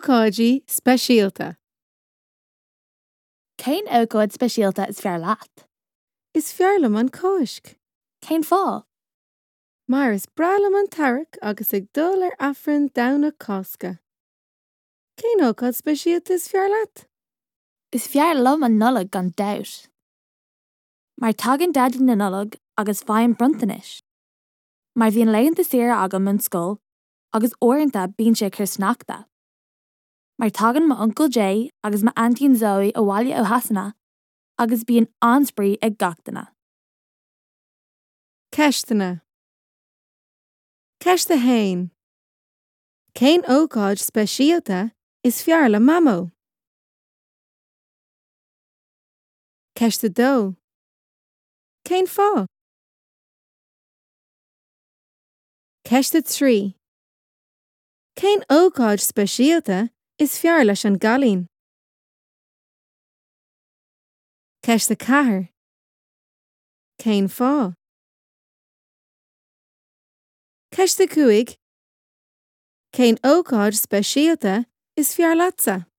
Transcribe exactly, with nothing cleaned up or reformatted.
Ócáidí speisialta. Cén ócáid speisialta is fearr leat? Is fearr liom an Cháisc. Cén fáth? Mar is breá liom an t-earrach agus ag dul ar Aifreann Domhnach Cásca. Cén ócáid speisialta is fearr leat? Is fearr liom an Nollaig gan dabht. Mar tagann Daidí na Nollag agus faighim bronntanais. Mar bhíonn laethanta saoire agam ón scoil agus uaireanta bíonn sé ag cur sneachta. Mar tagann m'uncail Jay agus m'aintín Zoe abhaile ó Shasana agus bíonn an-spraoi ag gach duine. Ceisteanna. Ceist a haon. Cén ócáid speisialta is fearr le Mamó? Ceist a dó. Cén fáth? Ceist a trí. Cén ócáid speisialta is fearr leis an gcailín? Ceist a ceathair. Cén fáth? Ceist a cúig. Cén ócáid speisialta is fearr leatsa?